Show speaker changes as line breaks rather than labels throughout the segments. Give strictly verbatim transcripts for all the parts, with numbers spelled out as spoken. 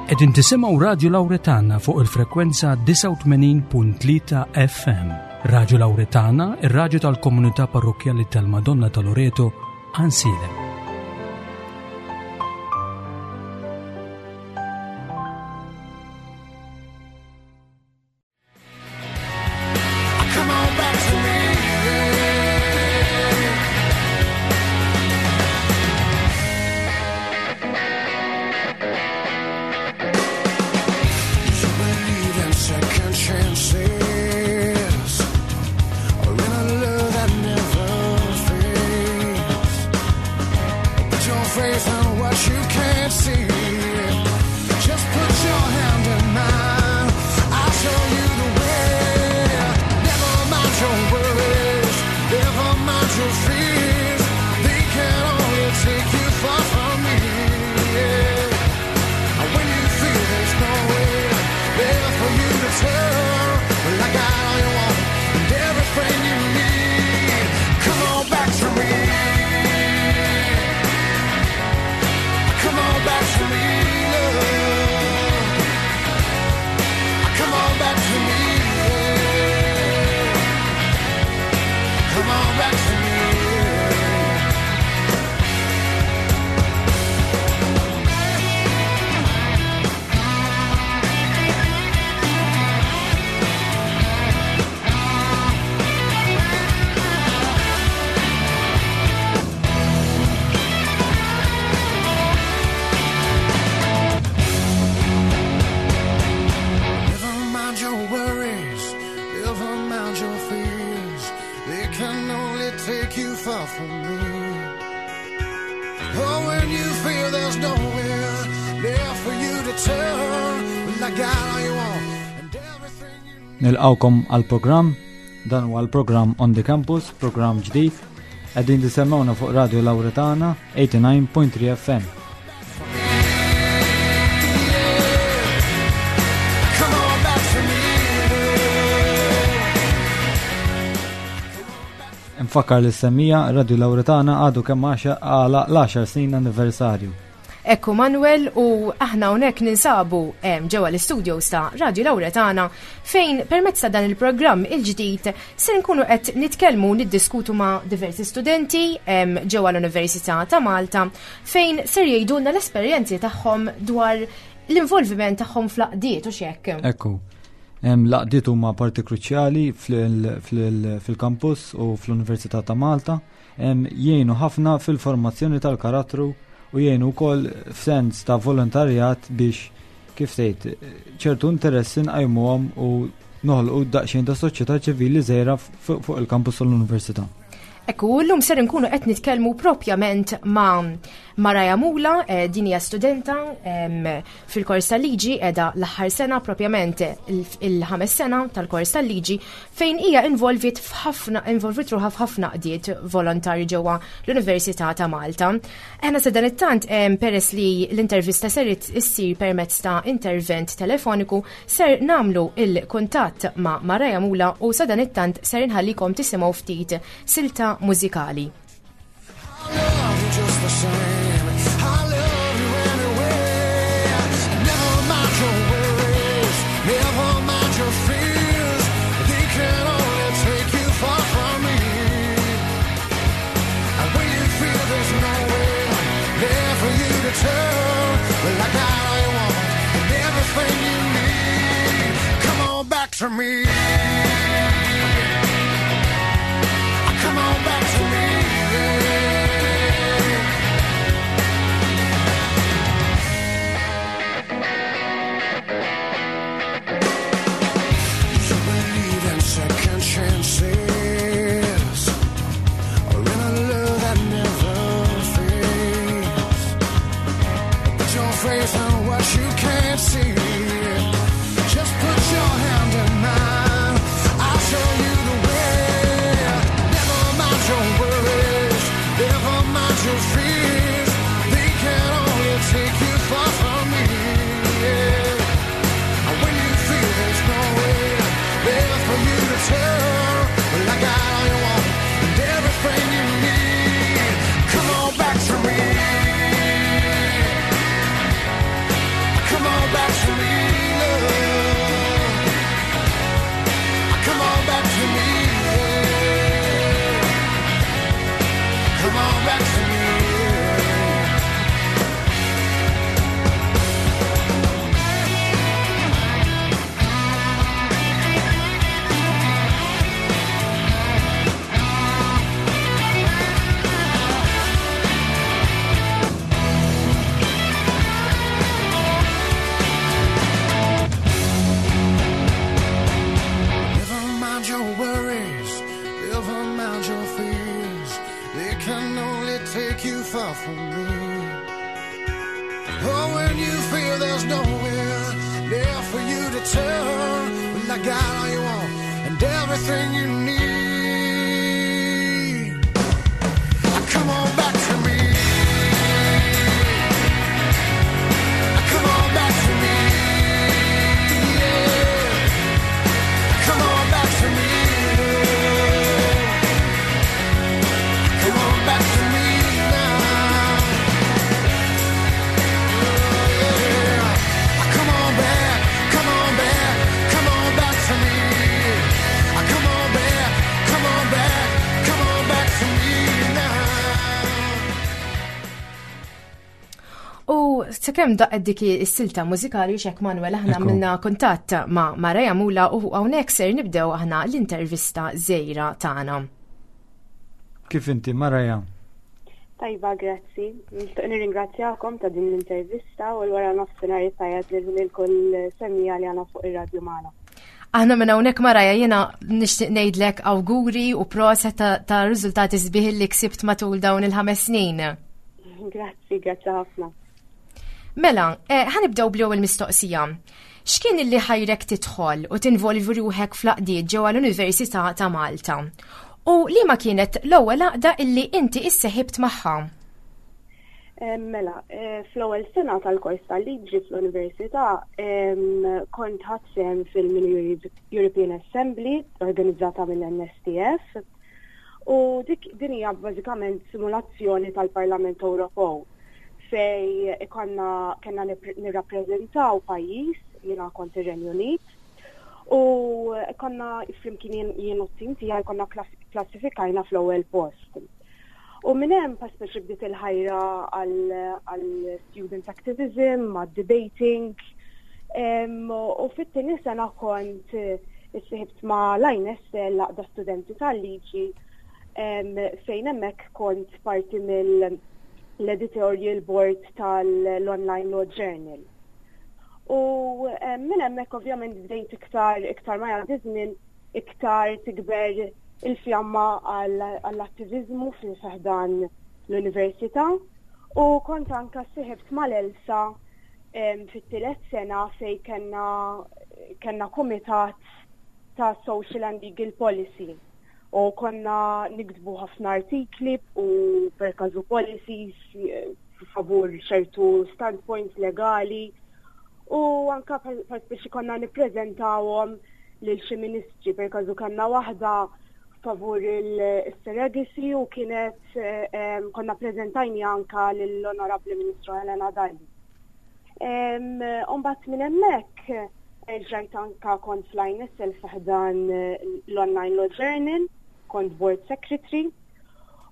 Qegħdin tisimgħu Radio Lauretana fuq il-frekwenza disgħa u tmenin punt tlieta F M. Radio Lauretana, ir-radju tal-komunità parrokkjali tal-Madonna ta' Loreto, Għajnsielem.
Come on back to me. You believe in second chances or in a love that never fades. Put your faith in what you can't see. Just put your hand in mine. I'll show you the way. Never mind your worries, never mind your fears. They can only take you far from me. Yeah. When you feel there's no way there for you to turn, well, I got all you want and everything you need. Come on back to me. Come on back to me, love. Come on back to me. Yeah. Come on back to me. Yeah. Never mind your worries, never mind your fears. They can only take you far from me. Oh, when you feel there's nowhere there for you to turn, well, I got all you want and everything you need.
Nilqawkom għal-programm, dan huwa l-programm On the Campus, programm ġdid. Qegħdin tisimgħuna fuq Radio Lauretana tmienja u disgħin punt tlieta F M.
Come on back to me.
Nfakkar lis-semmiegħa, Radio Lauretana għadu kemm għalaq l-għaxar snin anniversarju.
Ekku, Manuel, u aħna hawnhekk ninsabu em, ġewwa l-studios ta' Radio Lauretana, fejn permezz ta' dan il-programm il-ġdid se nkunu qed nitkellmu, niddiskutu ma' diversi studenti em, ġewwa l-Università ta' Malta, fejn ser jgħidulna l-esperjenzi tagħhom dwar l-involviment tagħhom fl-għaqdiet u x'hekk.
Ekku, em, l-għaqdiet huma parti kruċjali fil- fil- fil-campus u fl-Università ta' Malta. Em, Jgħinu ħafna fil-formazzjoni tal-karattru u jgħinu wkoll f'sens ta' volontarjat biex, kif tgħid, ċertu interessi nqajmuhom u noħolqu daqsxejn ta' soċjetà ċivili żgħira fuq fuq il-campus tal-Università.
Ekku, llum ser nkunu qed nitkellmu propjament ma' Maraja Mula, eh, din hija studenta em, fil-kors tal-liġi, qiegħda l-aħħar sena, propjament il- il-ħames sena tal-kors tal-liġi, fejn hija involvit f'ħafna involvit ruħha f'ħafna għaqdiet volontarji ġewwa l-Università ta' Malta. Aħna sa dan it-tant, em, peress li l-intervista ser issir permezz ta' intervent telefoniku, ser namlu il-kuntatt ma' Maraja Mula u sa dan it-tant ser inħallikom tisimgħu ftit silta mużikali.
I love you just the same. I love you anyway. Never mind your worries, never mind your fears. They can only take you far from me. And when you feel there's nowhere there for you to turn, well, I got all you want and everything you need. Come on back to me. Come on back to me. Yeah. You believe in second chances or in a love that never fades. Put your faith in what you can't see. Just put your hand in mine. I'll show you the way. Never mind your worries, never mind your fears. They can only take you far from me. Yeah. And when you feel there's no way there for you to turn, well, I got all you want and everything you need. Come on back to me. Come on back. you far from me. Oh, when you feel there's nowhere there for you to turn, well, I got all you want and everything you need. Come on back to me. Come on back to me. Yeah. Come on back to me. Come on back to me now. Yeah. Come on back, come on back, come on back to me. Come on back, come on back, come on back to me now.
U sakemm daqqet dik is-silta mużikali xek Manuel, aħna
Ekku.
għamilna kuntatt ma' Maraja Mula u hawnhekk ser nibdew aħna l-intervista żgħira tagħna.
Kif inti, Maraja?
Tajba, grazzi. Nixtieq nirringrazzjakom ta' din l-intervista u l-wara nofsinhar tajjeb lil kull semmiegħa li għandna fuq ir-radju magħna.
Aħna minn hawnhekk, Maraja, jiena nixtieq ngħidlek awguri u proset ta', ta' riżultati sbieħ li ksibt matul dawn il-ħames snin.
Grazzi, grazzi ħafna.
Mela, eh, ħa nibdew bl-ewwel mistoqsija. X'kien illi ħajrek tidħol u tinvolvi ruħek fl-għaqdiet ġewwa l-Università ta' Malta? U li ma kienet l-ewwel għaqda illi inti isseħibt magħha?
Eh, Mela, eh, fl-ewwel sena tal-kors tal-liġi fl-Università em, kont ħadt sehem fil-Mini European Assembly organizzata mill-N S T F u dik din hija bażikament simulazzjoni tal-Parlament Ewropew fej ikonna kellna nirrappreżentaw nirrappreżentaw pajjiż, jiena kont ir-Renju Unit, u konna flimkien jien jien u t-tim tiegħi konna klass- klassifikajna fl-ewwel post. U minn hemm pa speċi bdiet il-ħajra għal student activism, għal debating. Em, U fit-tieni sena kont eh, issiħibt ma' l-I N S L, l-Għaqda Studenti tal-Liġi, em, fejn hemmhekk kont parti mill-editorial board tal-Online Law Journal. U em, minn hemmhekk ovvjament bdejt iktar iktar ma jgħaddi żmien, iktar tikber il-fjamma għall-attivizmu fi ħdan l-università u kont anka siħibt mal-ELSA em, fit-tielet sena fej kellna kellna kumitat ta' Social and Legal Policy u konna niktbu ħafna artikli u per każu policies eh, favur ċertu standpoints legali u anka per biex konna nippreżentawhom lil xi ministri. Per każu kellna waħda favur il-surrogacy u kienet eh, em, konna preżentajni anka lill-Onorabli Ministru Helena Dalli. Umbagħad minn hemmhekk eh, ġajt anka kont fl-I N S L fi ħdan eh, l-Online Law Journal, kont board secretary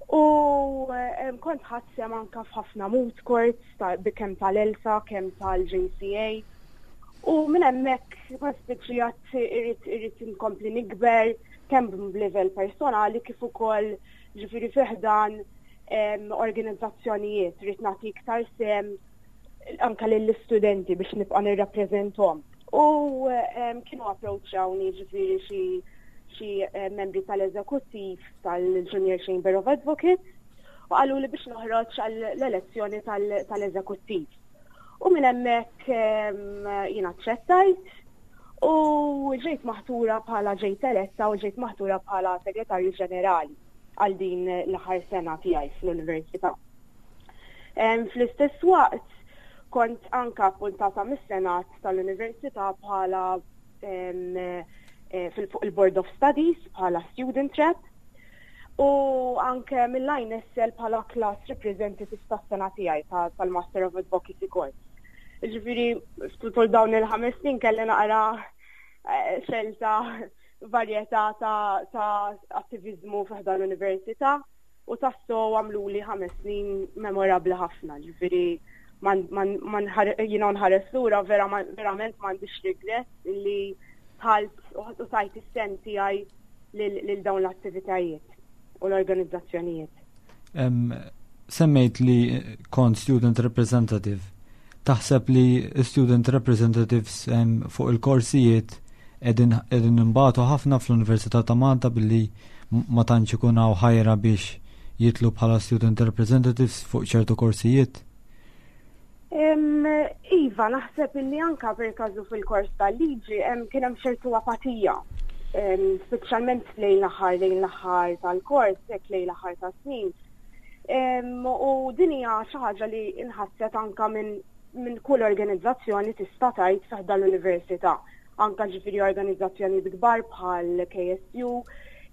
u em, kont ħadt sehem anka f'ħafna moot courts ta' kemm tal-ELSA, kemm tal-J C A. U minn hemmhekk ma spiċċijat irrid irrid inkompli nikber kemm b'livell personali kif ukoll ġifieri fi ħdan em, organizzazzjonijiet, rrid nagħti iktar sehem anka lill-istudenti biex nibqa' nirrappreżentahom. U em, kienu approachawni ġifieri xi xi eh, membri tal-eżekuttiv tal-Junior Chamber of Advocates u qalu li biex noħroġ għall-elezzjoni tal- tal-eżekuttiv. U minn hemmhekk em, jiena aċċettajt u ġejt maħtura bħala ġejt eletta u ġejt maħtura bħala segretarju ġenerali għal din l-aħħar sena tiegħi fl-università. Em, Fl-istess waqt kont anka appuntata mis-Senat tal-Università bħala em, eh, fil- fuq il-Board of Studies bħala student rep u anke mill-I N S L bħala class representative tas-sena tiegħi ta- tal-Master of Advocacy course. Ġifieri, tul dawn il-ħames snin kelli naqra eh, xelta varjetà ta', ta' attivizmu fi ħdan l-università u tassew għamlu li ħames snin memorabli ħafna, ġifieri man, man, man jiena nħares lura vera, verament m'għandix regret li dħalt u tajt is-sehem tiegħi lil lil dawn l-attivitajiet u l-organizzazzjonijiet.
Em, Semmejt li kont student representative. Taħseb li student representatives em, fuq il-korsijiet qegħdin qegħdin imbatu ħafna fl-Università ta' Malta billi m- ma tantx ikun hawn ħajra biex jitilgħu bħala student representatives fuq ċertu korsijiet?
Iva, naħseb illi anka per każu fil-kors tal-liġi kien hemm ċertu apatija, speċjalment lejn l-aħħar lejn l-aħħar tal-kors, hekk lejn l-aħħar tas-snin. U din hija xi ħaġa li inħasset anka minn min kull organizzazzjoni tista' tgħid fi ħdan l-università. Anka ġifieri organizzazzjoni kbar bħal K S U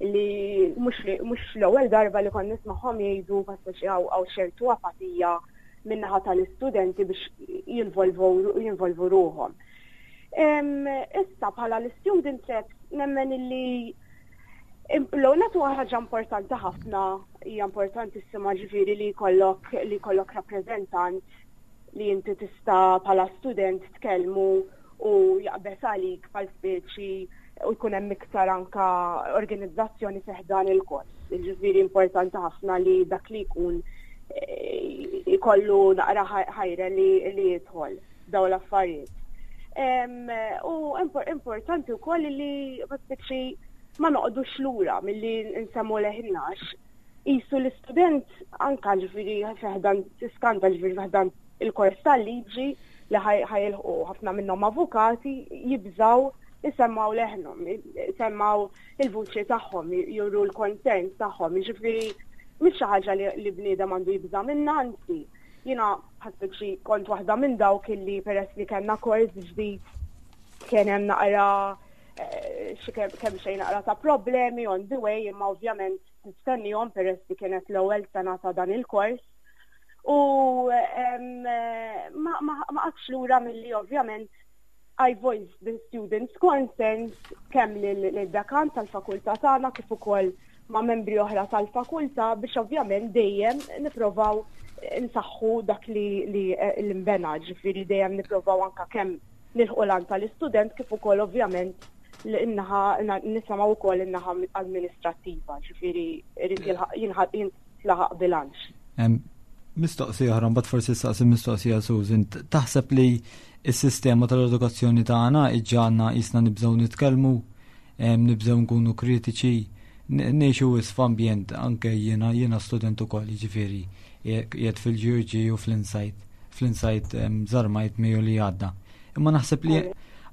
li mhux l-ewwel darba li kont nismagħhom jgħidu passaċi hawn ċertu apatija min-naħa tal-istudenti biex jinvolvu ruħhom. Issa bħala l-student reps nemmen illi l-għonet huwa ħaġa importanti ħafna, hija importantissima ġifieri li jkollok li jkollok rappreżentant li inti tista' bħala student tkellmu u jaqbeż għalik bħal speċi u jkun hemm iktar anka organizzazzjoni fi ħdan il-kors. Ġifieri importanti ħafna li dak li jkun eh, ikollu naqra ħajra li, li jidħol daw l-affarijiet. U importanti wkoll li speċi ma noqogħdux lura milli nsemmu leħinna. Qisu l-istudent anka ġifieri fi ħdan tiskanta ġifieri fi ħdan il-kors tal-liġi li ħa jilħqu ħafna minnhom avukati jibżaw isemmaw leħnhom, isemmaw il-vuċi tagħhom, juru l-concerns tagħhom, ġifieri mhix xi ħaġa li bniedem għandu jibża minna, anzi, jiena ħassib xi kont waħda minn dawk illi peress li kellna kors ġdid kien hemm naqra eh, xi kemm xejn naqra ta' problemi on the way, imma ovvjament tistennihom peress li kienet l-ewwel sena ta' dan il-kors. U ma qgħadtx lura milli ovvjament I voice the students' concerns kemm lid-dekan tal-fakultà tagħna kif ukoll ma' membri oħra tal-fakultà biex ovvjament dejjem nipprovaw nsaħħu dak li li l-imbena, ġifieri dejjem nipprovaw anka kemm nilħqu l tal-istudent kif ukoll ovvjament l-innaħa nisimgħu wkoll in-naħa amministrattiva, ġifieri irid jintlaħaq bilanċ.
Mistoqsija oħra, mbagħad forsi saqsi mistoqsija Susan, taħseb li s-sistema tal-edukazzjoni tagħna iġġagħalna qisna nibżgħu nitkellmu, nibżgħu nkunu kritiċi, ngħixu f'ambjent anke jiena jiena student ukoll, jiġifieri qiegħed fil-G U G u fl-Insight, fl-Insight żarmajt Mejju li għadda. Imma naħseb li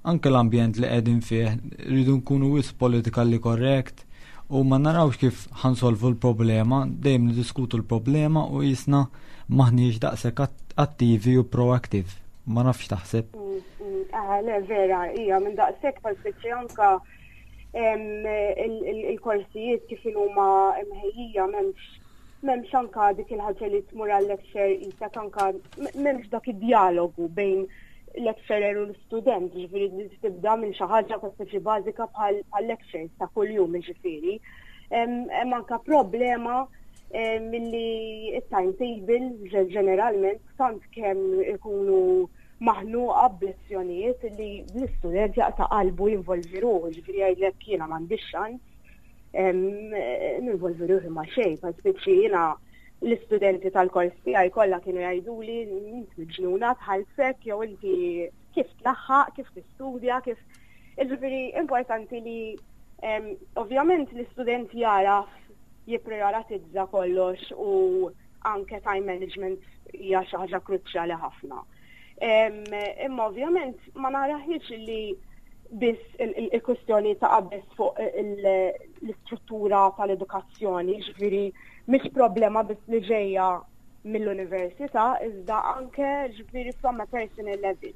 anke l-ambjent li qegħdin fih rridu nkunu wisq politically correct u ma narawx kif ħa nsolvu l-problema, dejjem niddiskutu l-problema u qisna m'aħniex daqshekk attivi u proactive. Ma nafx taħseb.
Mm, mm, ah, le, vera, hija minn daqshekk bħal anka il-korsijiet kif huma mħejjija m'hemmx m'hemmx anka dik il-ħaġa li tmur għal-lecture qisek anka m'hemmx dak id-dialogu bejn lecturer u l-student, ġifieri li tibda minn xi ħaġa speċi bażika bħal lectures ta' kuljum ġifieri. Hemm anka problema milli it-timetable ġeneralment tant kemm ikunu maħnuqa b'lezzjonijiet li l-istudent jaqta' qalbu jinvolvi ruħu, ġifieri jgħidlek jiena m'għandix ċans ninvolvi ruħi ma' xejn, pa speċi jiena l-istudenti tal-kors tiegħi kollha kienu jgħiduli inti miġnuna tħallsek jew inti kif tlaħħaq, kif tistudja, kif. Ġifieri importanti li ovvjament l-istudent jaraf jipprioritizza kollox u anke time management hija xi ħaġa kruċjali ħafna. Imma ovvjament ma naraħiex li biss il-kwestjoni ta' qabeż fuq l-istruttura tal-edukazzjoni, ġifieri mhix problema biss li ġejja mill-università, iżda anke ġifieri from a personal level.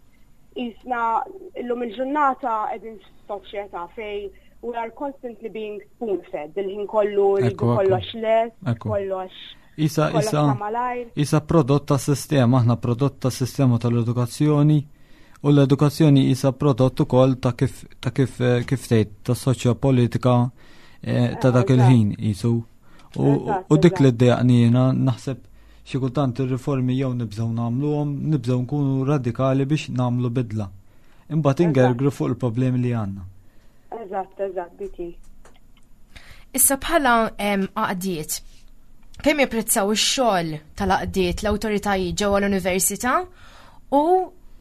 Qisna illum il-ġurnata qegħdin f'soċjetà fejn we are constantly being spoon-fed, il-ħin kollu rridu kollox les, kollox.
Issa, issa, issa prodott ta' sistema, aħna prodott ta' sistema tal-edukazzjoni u l-edukazzjoni issa prodott ukoll ta' kif ta' kif eh, kif tgħid ta' soċjopolitika eh, ta' dak il-ħin qisu. U dik li ddejjaqni jiena naħseb xi kultant ir-riformi jew nibżgħu nagħmluhom, nibżgħu nkunu radikali biex nagħmlu bidla. Imbagħad ingergru fuq il-problemi li għandna.
Eżatt, eżatt, dik.
Issa bħala għaqdiet, kemm japprezzaw ix-xogħol tal-għaqdiet l-awtoritajiet ġewwa l-università u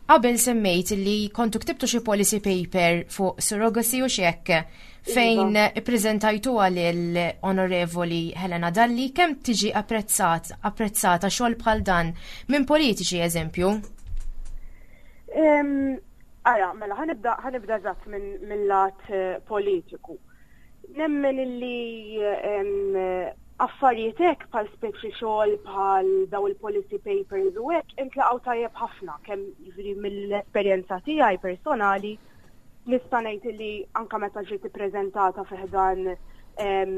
Qabel semmejt li kontu ktibtu xi policy paper fuq surrogacy u xek fejn
Iva.
ippreżentajtu għal Onorevoli Helena Dalli, kemm tiġi apprezzat, apprezzata xogħol bħal dan minn politiċi, eżempju?
Ara, mela, ħa nibda ħa nibda eżatt minn lat eh, politiku. Nemmen illi affarijiet hekk bħal speċi xogħol bħal daw il-policy papers u hekk intlaqgħu tajjeb ħafna, kemm jiġifieri mill-esperjenza tiegħi personali nista' ngħid li anke meta ġiet ippreżentata fi ħdan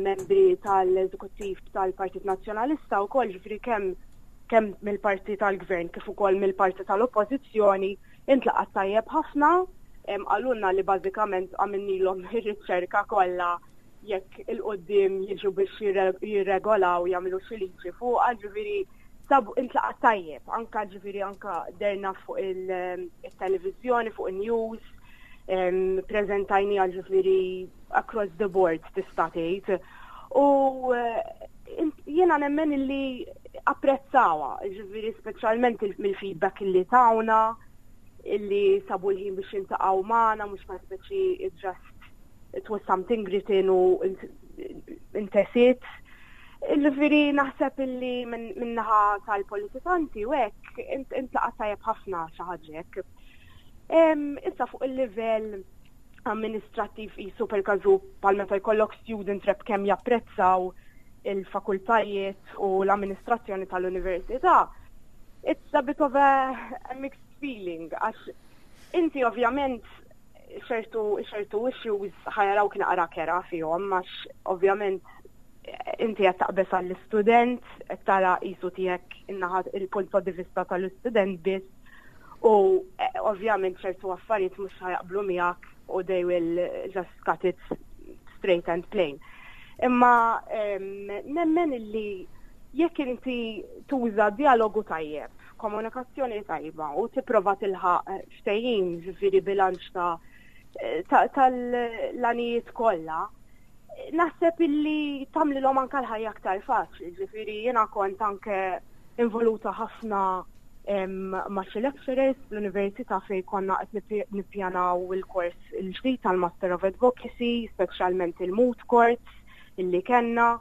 membri tal-eżekuttiv tal-Partit Nazzjonalista wkoll, ġifieri kemm kemm mill-parti tal-gvern kif ukoll mill-parti tal-oppożizzjoni, intlaqat tajjeb ħafna. Qalulna li bażikament għamilnilhom ir-riċerka kollha, jekk 'il quddiem jiġu biex jirregolaw, jagħmlu xi liġi fuq, ġifieri sabu intlaqat tajjeb, anka ġifieri anka dehrna fuq il-televizjoni, fuq il-news, preżentajnieha ġifieri across the board, tista' tgħid. U eh, jiena nemmen illi apprezzawha, ġifieri speċjalment mill-feedback illi tawna, illi sabu l-ħin biex jiltaqgħu magħna, mhux ma speċi just it was something written u intesiet. Ġifieri naħseb illi min-naħa tal-politikanti u hekk intlaqa' tajjeb ħafna xi ħaġa hekk. Issa fuq il-livell amministrattiv, jisu per każu bħal meta jkollok student rep, kemm japprezzaw il-fakultajiet u l-amministrazzjoni tal-università, it's a bit of a, a mixed feeling, għax inti ovvjament ċertu ċertu issues ħa jaraw kien naqra kerha fihom, għax ovvjament inti qed taqbeż għall-istudent, qed tara qisu tiegħek in-naħa, il-punt di vista tal-istudent biss u eh, ovvjament ċertu affarijiet mhux ħa jaqblu miegħek u they will just cut it straight and plain. Imma nemmen illi jekk inti tuża dialogu tajjeb, komunikazzjoni tajba u tipprova tilħaq ftehim, ġifieri bilanċ ta' tal-għanijiet kollha, naħseb illi tagħmlilhom anke l-ħajja aktar faċli, ġifieri jiena kont anke involuta ħafna ma' xi lecturers l-università fejn konna qed nippjanaw il-kors il-ġdid tal-Master of Advocacy, speċjalment il-moot courts illi kellna.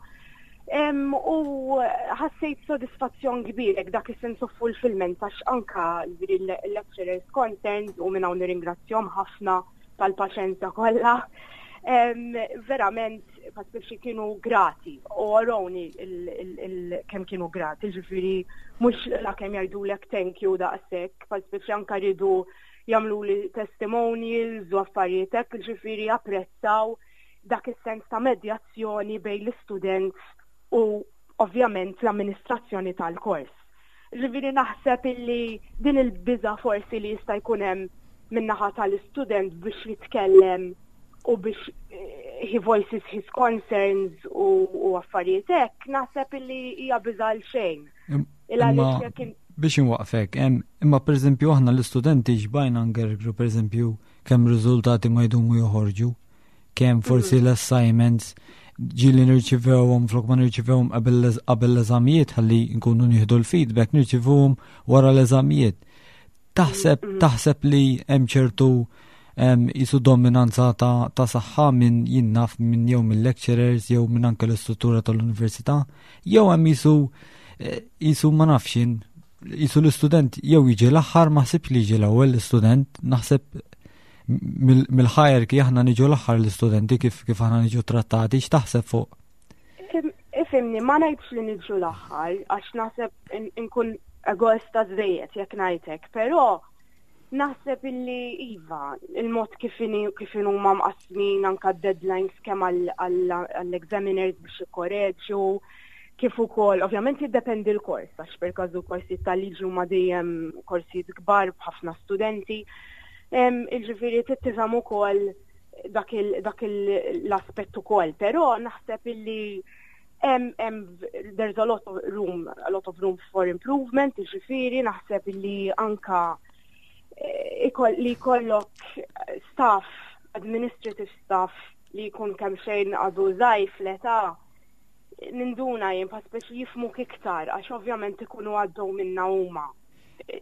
U ħassejt sodisfazzjon kbir, dak is-sense of fulfillment, għax anka l-lecturers concerned, u minn hawn nirringrazzjahom ħafna tal-paċenzja kollha. Verament, biex kienu grati u urewni kemm kienu grati, ġifieri mhux la kemm jgħidulek thank you daqshekk, biex anka ridu jagħmlu li testimonials u affarijiet hekk, ġifieri apprezzaw dak is-sens ta' medjazzjoni bejn l-istudent u ovvjament l-amministrazzjoni tal-kors. Ġifieri naħseb illi din il-biża forsi li jista' jkun hemm min-naħa tal-istudent biex jitkellem u biex eh, he voices his concerns u, u affarijiet hekk, naħseb illi hija biża għal xejn.
Biex inwaqfek, imma per eżempju aħna l-istudenti xbajna ngergru, per eżempju, kemm riżultati ma jdumu joħorġu, kemm forsi mm. l-assignments ġieli nirċivewhom, flok ma nirċivewhom qabel l-eżamijiet ħalli nkunu nieħdu l-feedback, nirċivewhom wara l-eżamijiet. Taħseb mm. taħseb li hemm ċertu jisu dominanza ta', ta saħħa minn, jien naf, minn jew minn lecturers jew minn anke l-istruttura tal-università, jew hemm jisu eh, jisu ma nafx jien, jisu l-istudent jew jiġi l-aħħar? Ma ħsibx li jiġi l-ewwel l-istudent, naħseb mill-hierarchy aħna niġu l-aħħar l-istudenti, kif kif aħna niġu trattati, x'taħseb fuq?
Ifhimni, ma ngħidx li niġu l-aħħar, għax naħseb inkun egoista żejjed jekk ngħidlek, però naħseb illi iva, il-mod kif kif huma mqasmin anka deadlines kemm għall-examiners biex ikkoreġu, kif ukoll, ovvjament jiddependi l-kors, għax per każu korsijiet tal-liġi huma dejjem korsijiet kbar b'ħafna studenti. Ġifieri tifhem ukoll dak l-aspett ukoll, però naħseb illi um, um, there's a lot of room, a lot of room for improvement, ġifieri naħseb illi anka eh, li jkollok staff, administrative staff li jkun kemm xejn għadu żgħir fl-età, ninduna jien speċi jifhmuk iktar, għax ovvjament ikunu għaddew minnha huma.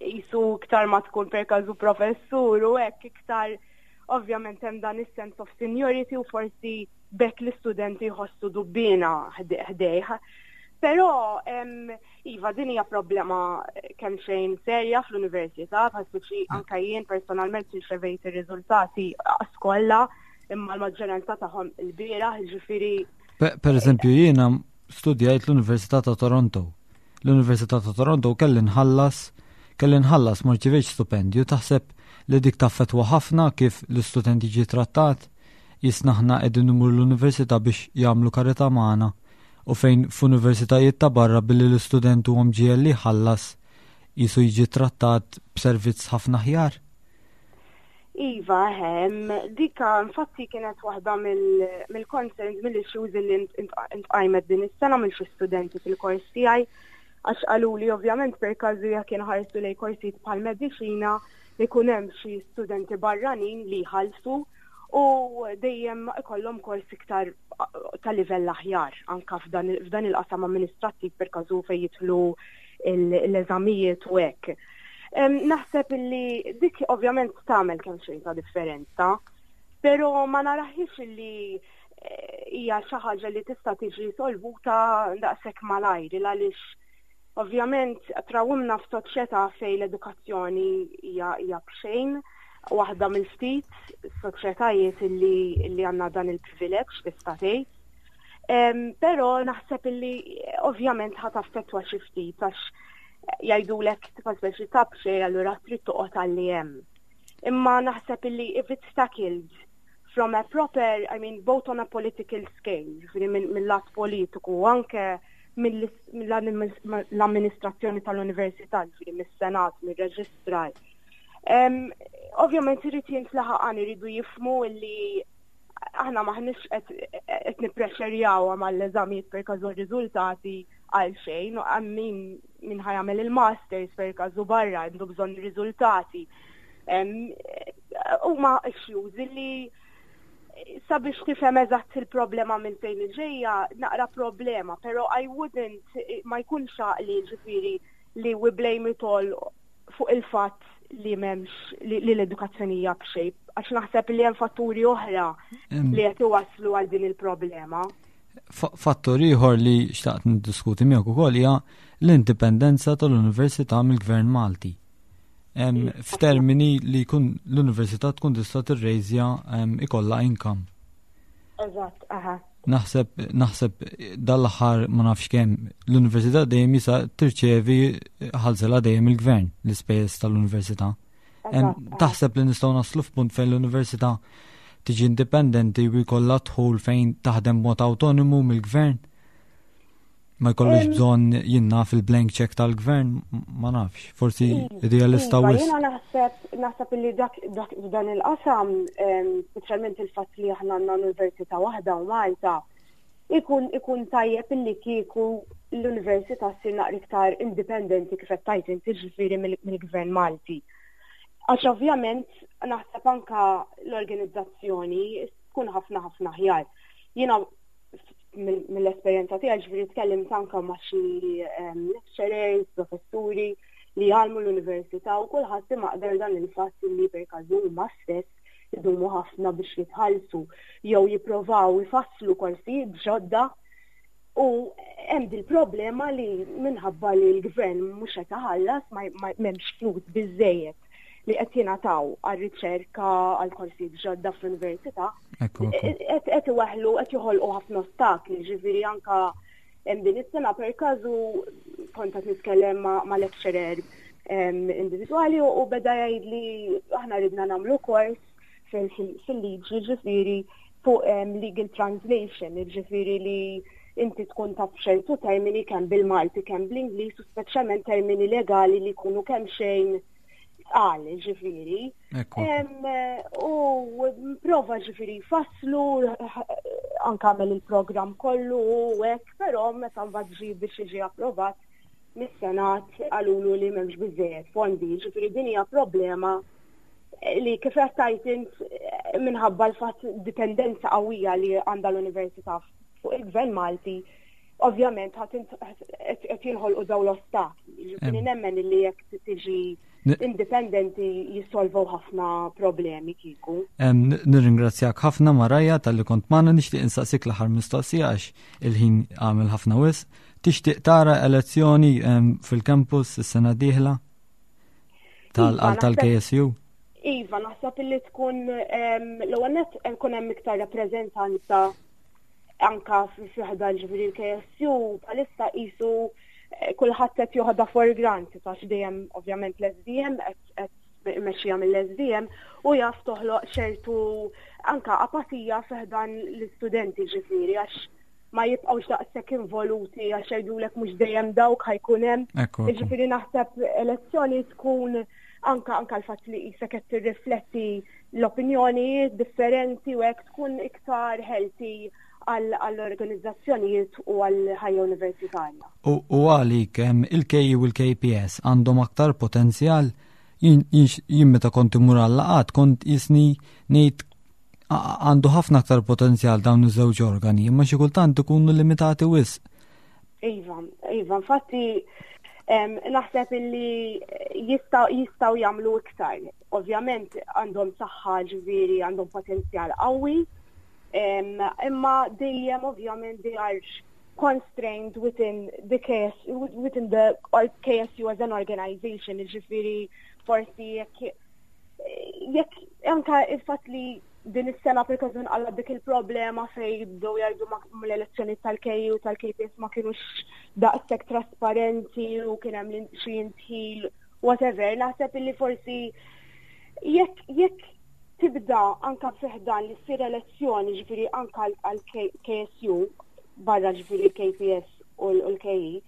Jisu iktar ma tkun per każu professur u hekk, iktar ovvjament hemm dan is-sense of seniority u forsi bekk l-istudenti jħossu dubbina ħdejh. Però iva, din hija problema kemm xejn serja fl-università, bħal speċi anke jien personalment irċevejt ir-riżultati kollha, imma l-maġġoranza tagħhom il-bieraħ, ġifieri.
Per eżempju, jiena studjajt l-Università ta' Toronto. L-Università ta' Toronto kelli nħallas, kelli nħallas, ma rċivejtx stipendju. Taħseb li dik taffetwa ħafna kif l-istudent jiġi trattat? Jisna aħna qegħdin imur l-università biex jagħmlu karità magħna u fejn f'universitajiet ta' barra, billi l-istudent huwa mġiegħel li jħallas, jisu jiġi trattat b'servizz ħafna aħjar.
Iva, hemm, dika infatti kienet waħda mill-concerns, mill-issues li intqajmet din is-sena mill xi studenti fil-kors tiegħi, għax qalu li ovvjament per każu jekk inħarsu lejn korsijiet bħal mediċina ikun hemm xi studenti barranin li jħallsu u dejjem ikollhom kors iktar ta' livell aħjar anka f'dan il-qasam amministrattiv, per każu fejn jidħlu l-eżamijiet u hekk. Naħseb illi dik ovvjament tagħmel kemm xejn ta' differenza, però ma naraħix illi eh, hija xi ħaġa li tista' tiġi solvuta daqshekk malajr, għaliex ovvjament trawimna f'soċjetà fejn l-edukazzjoni hija hija b'xejn, waħda mill-ftit soċjetajiet illi li għandna dan il-privileġġ, tista' tgħid. Però naħseb illi ovvjament ħa taffettwa xi ftit, għax jgħidulek tifa speċi ta' b'xejn, allura trid toqgħod għalli hemm. Imma naħseb illi if it's tackled from a proper, I mean, both on a political scale, ġifieri mill-lat politiku u anke mill-amministrazzjoni tal-università, ġifieri mis-senat, mir-registrar. Ovvjament irid jintlaħaq għan iridu jifhmu illi aħna maħniex qed nipprexxerjaw mal-eżamijiet per każu riżultati għal xejn, għal min min ħa jagħmel il-masters per każu barra għandu bżonn riżultati. Huma issues illi sabiex tifhem eżatt il-problema minn fejn ġejja naqra problema, però I wouldn't, ma jkunx għaqli ġifieri li we blame it all fuq il-fatt li m'hemmx li l-edukazzjoni hija b'xejn, għax naħseb li hemm fatturi oħra li qed iwasslu għal din il-problema.
Fattur ieħor li xtaqt niddiskuti miegħek ukoll hija l-indipendenza tal-Università mill-Gvern Malti. F'termini li jkun l-università tkun tista' tirrejżja, ikollha income.
Eżatt, aha.
Naħseb naħseb dal-aħħar ma nafx kemm l-università dejjem jisa tirċevi ħalsela dejjem il-gvern l-ispejjeż tal-università. Taħseb li nistgħu naslu f'punt fejn l-università tiġi indipendenti u jkollha dħul fejn taħdem mod autonomu mill-gvern? Ma jkollux bżonn jinna fil-blank check tal-gvern, ma nafx, forsi idealista
Iva,
wisq.
Jiena naħseb naħseb illi dak dak f'dan il-qasam, speċjalment il-fatt li aħna għandna università waħda u Malta, ikun ikun tajjeb illi kieku l-università ssir naqra iktar indipendenti, kif qed tgħid inti, ġifieri mill-gvern Malti. Għax ovvjament naħseb anka l-organizzazzjoni tkun ħafna ħafna aħjar. Jiena mill-esperjenza tiegħi, ġifieri tkellimt anka ma' xi lecturers, professuri li jgħallmu l-università, u kulħadd imaqdar dan il-fatt li per każu huma stess idumu ħafna biex jitħallsu jew jipprovaw ifasslu korsijiet ġodda u hemm dil-problema li minħabba li l-gvern mhux qed iħallas, m'hemmx flus biżejjed li qed jingħataw għar-riċerka, għal korsijiet ġodda fl-università, qed iweħlu, qed joħolqu ħafna ostakli. Ġifieri anka hemm din is-sena per każu kont qed nitkellem ma' lecturer individwali u beda jgħid li aħna ridna nagħmlu kors fil-liġi, ġifieri fuq legal translation, ġifieri li inti tkun taf ċertu termini kemm bil-Malti kemm bl-Ingliż u speċjalment termini legali li jkunu kemm xejn għal, ġifieri. U prova ġifieri faslu, anka għamel il-program kollu u hekk, però meta mbagħad ġi biex jiġi approvat mis-Senat qalulu li m'hemmx biżejjed fondi. Ġifieri din hija problema li, kif qed tgħid int, minħabba l-fatt dipendenza qawwija li għandha l-università fuq il-Gvern Malti. ovvjament qed jinħolqu dawn l-ostakli. Ġifieri nemmen li jekk tiġi indipendenti jissolvu ħafna problemi kieku.
Nirringrazzjak ħafna, Maraja, talli kont magħna. Nixtieq insaqsik l-aħħar mistoqsija għax il-ħin għamel ħafna wisq. Tixtieq tara elezzjoni fil-campus is-sena dieħla
Iva,
tal-K S U?
Iva, naħseb illi tkun l-ewwel nett nkun hemm iktar rappreżentanza anka fi ħdan, ġifieri l-K S U bħalissa qisu eh, kulħadd qed joħodha for granted għax dejjem ovvjament l-S D M qed mexxija mill-S D M u jaf toħloq ċertu anka apatija fi ħdan l-istudenti, ġifieri għax ma jibqgħux daqshekk involuti għax jgħidulek mhux dejjem dawk ħa jkun hemm. Ġifieri naħseb elezzjoni tkun anka anka l-fatt li qisek qed tirrifletti l-opinjonijiet differenti u hekk tkun iktar healthy għall-organizzazzjonijiet u għall-ħajja universitarja.
U għalik il-K E u l-K P S għandhom aktar potenzjal? Jien meta kont immur għal-laqgħat kont jisni ngħid għandu ħafna aktar potenzjal dawn iż-żewġ organi, imma xi kultant ikunu limitati wisq.
Iva, iva, infatti naħseb illi jistgħu jagħmlu iktar. Ovvjament għandhom saħħa, ġifieri għandhom potenzjal qawwi, imma dejjem ovvjament they are constrained within the K S within the K S U as an organization, ġifieri forsi jekk jekk anka il-fatt li din is-sena per każu nqala dik il-problema fej bdew jgħidu l-elezzjoni tal-K E u tal-K P S ma kienux daqshekk trasparenti u kien hemm xi indħil, whatever, naħseb illi forsi jekk jekk tibda anka fi ħdan li ssir elezzjoni, ġifieri anka għal K S U barra, ġifieri K P S u l-K E,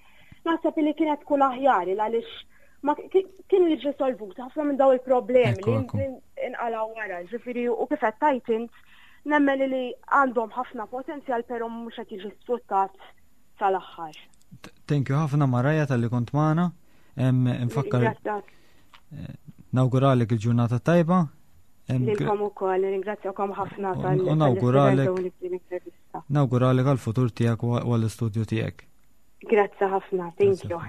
naħseb illi kienet tkun aħjar għaliex ma kienu jiġu solvuti ħafna minn daw il-problemi li inqalaw wara, ġifieri u kif qed tajt int, nemmen li għandhom ħafna potenzjal, però mhux qed jiġi sfruttat sal-aħħar.
Thank you ħafna, Maraja, talli kont magħna. Nfakkar eh, nawguralek il-ġurnata tajba.
Lilkom ukoll, ringrazzjakom ħafna
tal Nawguralek nawguralek għal-futur tiegħek u għall-istudju tiegħek.
Grazzi ħafna, thank you.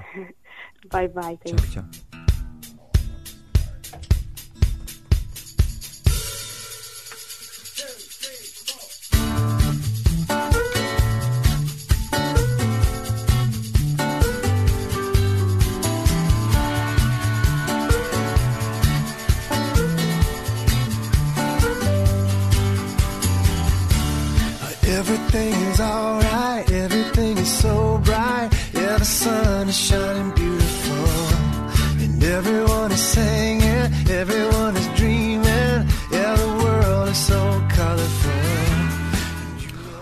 Bye bye.
Thank ciao, ciao. Everything's alright, everything is so bright. Yeah, the sun is shining beautiful. And everyone is singing, everyone is dreaming. Yeah, the world is so colorful.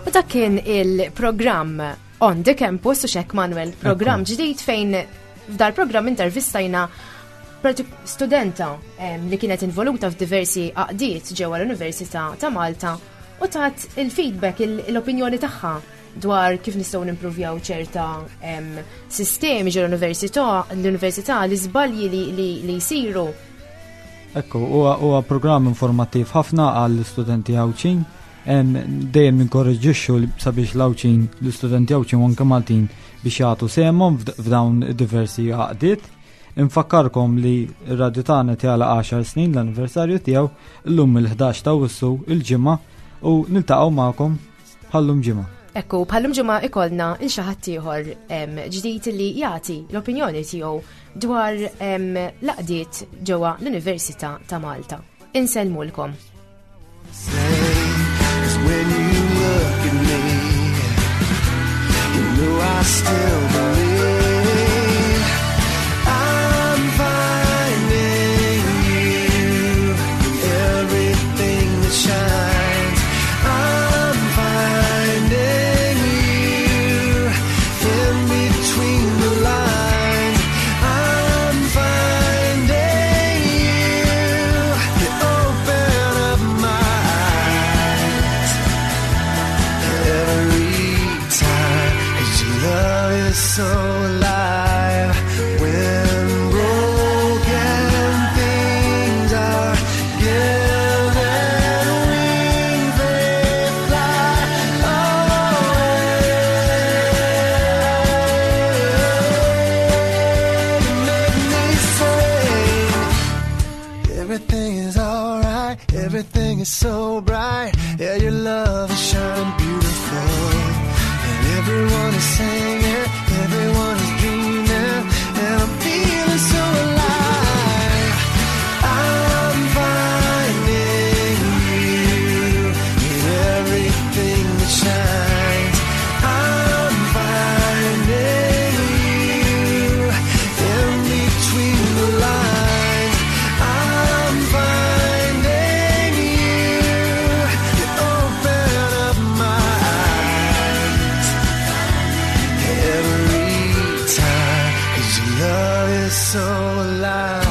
U dak kien il-programm On the Campus u xek, Manuel, programm ġdid fejn f'dal programm intervistajna studenta li kienet involuta f'diversi għaqdiet ġewwa l-Università ta' Malta u tat il-feedback, l-opinjoni tagħha dwar kif nistgħu nimprovjaw ċerta sistemi ġewwa l-università, l-università, l-iżbalji li, li jsiru.
Ekku, huwa programm informattiv ħafna għall-istudenti Għawdxin. Dejjem ninkoraġġixxu sabiex l-Għawdxin, l-istudenti Għawdxin u anke Maltin biex jagħtu sehemhom f'dawn diversi għaqdiet. Infakkarkom li r-radju tagħna jagħlaq għaxar snin, l-anniversarju tiegħu llum il-ħdax ta' Awwissu, il-Ġimgħa, u niltaqgħu magħkom bħallum ġimgħa.
Ekku, bħallum ġimgħa ikollna 'il xi ħadd ieħor ġdid li jagħti l-opinjoni tiegħu dwar l-għaqdiet ġewwa l-Università ta' Malta. Insellmulkom.
When you look at me, you know I still believe I'm finding you in everything that shines. I'm finding you in between the lines. I'm finding you. You open up my eyes every time, 'cause your love is so Everything is so bright. Yeah, your love is shining beautiful. And everyone is singing, everyone is dreaming, and I'm feeling so alive. I'm finding you in everything that shines. I'm finding you in between the lines. I'm finding you. You open up my eyes every time, 'cause your love is so alive.